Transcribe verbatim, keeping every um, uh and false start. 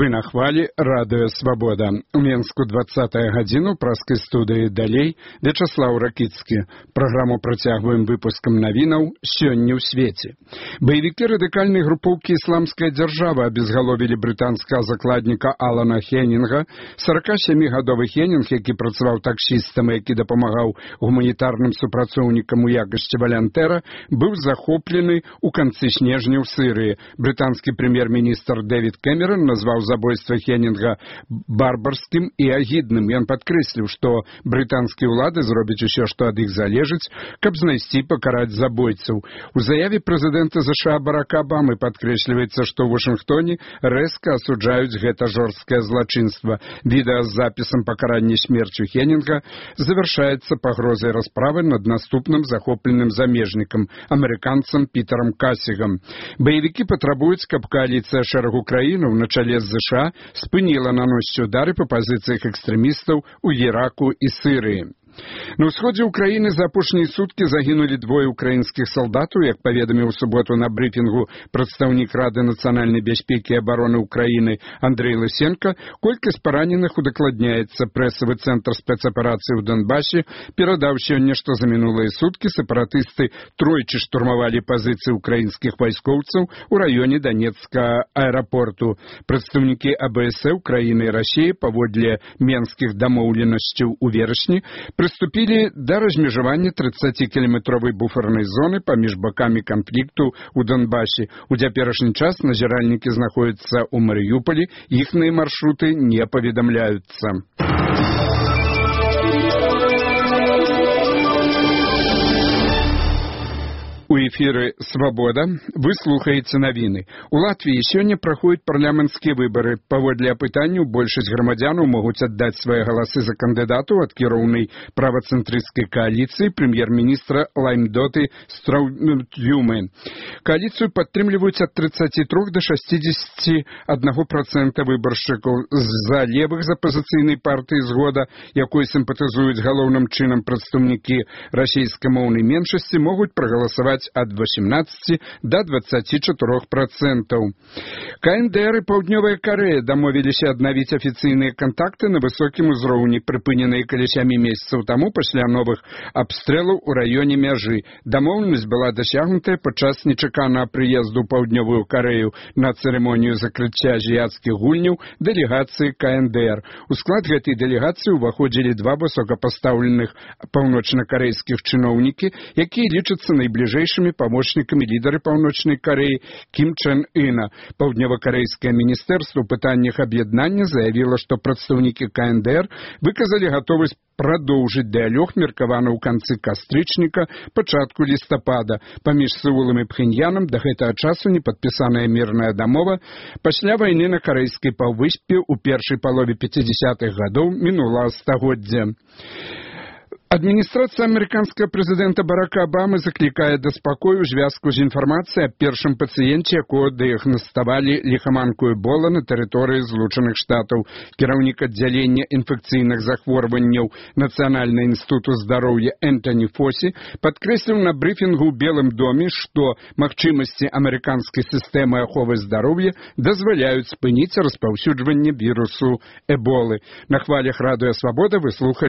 Вы на хвалі радыё Свабода. У Менску двадцатая гадзіну праскай студыі далей Вячаслаў Ракіцкі. Праграму працягваем выпускам навінаў «Сёння ў свеце». Баевікі радыкальнай групоўкі «Ісламская дзяржава» абезгаловілі брытанскага закладніка Алана Хеннінга. саракасямігадовы Хеннінг, які працаваў таксістам, які дапамагаў гуманітарным супрацоўнікам у якасці валянтэра, быў захоплены ў канцы снежня ў Сырыі. Брытанскі прэм'ер-міністр Дэвід Кэмерон назваў забойства Хеннінга барбарскім і агідным. Ён падкрэсліў, што брытанскія ўлады зробяць усё, што ад іх залежыць, каб знайсці і пакараць забойцаў. У заяве прэзідэнта ЗША Барака Абамы падкрэсліваецца, што ў Вашынгтоне рэзка асуджаюць гэта жорсткае злачынства. Відэа з запісам пакарання смерцю Хеннінга завяршаецца пагрозай расправы над наступным захопленым замежнікам, амерыканцам Пітерам Касігам. Баевікі патрабуюць, каб кааліцыя шэрагу краінаў на чале з ЗША спыніла наносіць удары па пазіцыях экстрэмістаў у Іраку і Сырыі. На ўсходзе ўкраіны за апошнія суткі загінулі двое ўкраінскіх салдатаў, як паведаміў у суботу на брыфінгу прадстаўнік Рады нацыянальнай бяспекі і абароны ўкраіны Андрэй Лысенка. Колькасць параненых удакладняецца. Прэсавы цэнтр спецаперацыі ў Донбасе перадаў сёння, што за мінулыя суткі сепаратысты тройчы штурмавалі пазіцыі ўкраінскіх вайскоўцаў у раёне Данецкага аэрапорту. Прадстаўнікі АБС Украіны і Расіі паводле менскіх дамоўленасцяў у верасні прыступілі да размежавання трыццацікіламетровай буфернай зоны паміж бакамі канфлікту ў Донбасе. У цяперашні час назіральнікі знаходзяцца ў Марыюполі, іхныя маршруты не паведамляюцца. У эфіры «Свабода» вы слухаеце навіны. У Латвіі сёння праходзяць парламенцкія выбары. Паводле апытанняў большасць грамадзянаў могуць аддаць свае галасы за кандыдатаў ад кіроўнай правацэнтрысцкай кааліцыі прэм'ер-міністра Лаймдоты Страўюмы. Кааліцыю падтрымліваюць ад трыццаці трох да шасцідзесяці аднаго працэнта выбаршчыкаў. З-за левых з апазіцыйнай партыі «Згода», якой сімпатызуюць галоўным чынам прадстаўнікі расейскамоўнай меншасці, могуць прагаласаваць ад васямнаццаці да дваццаці чатырох працэнтаў. КНДР і Паўднёвая Карэя дамовіліся аднавіць афіцыйныя кантакты на высокім узроўні, прыпыненыя каля сямі месяцаў таму пасля новых абстрэлаў у раёне мяжы. Дамоўленасць была дасягнутая падчас нечаканага прыезду ў Паўднёвую Карэю на цырымонію закрыцця азіяцкіх гульняў дэлегацыі КНДР. У склад гэтай дэлегацыі ўваходзілі два высокапастаўленых паўночнакарэйскіх чыноўнікі, якія лічацца найбліжэйшымі памочнікамі лідары Паўночнай Карэі Кім Чен Іна. Паўднёвакарэйскае міністэрства ў пытаннях аб'яднання заявіла, што прадстаўнікі КНДР выказалі гатовасць прадоўжыць дыялог, меркаваны ў канцы кастрычніка, пачатку лістапада. Паміж Сеулам і Пхеньянам да гэтага часу не падпісаная мірная дамова пасля вайны на карэйскай паўвыспе ў першай палове пяцідзясятых гадоў мінулага стагоддзя. Адміністрацыя амерыканскага прэзідэнта Барака Абамы заклікае да спакою ў звязку з інфармацыяй аб першым пацыенце, якога дыягнаставалі ліхаманку Эбола на тэрыторыі Злучаных Штатаў. Кіраўнік аддзялення інфекцыйных захворванняў Нацыянальнага інстытуту здароўя Энтані Фосі падкрэсліў на брыфінгу ў Белым доме, што магчымасці амерыканскай сістэмы аховы здароўя дазваляюць спыніць распаўсюджванне вірусу Эболы. На хвалях радыё Свабода вы слухаеце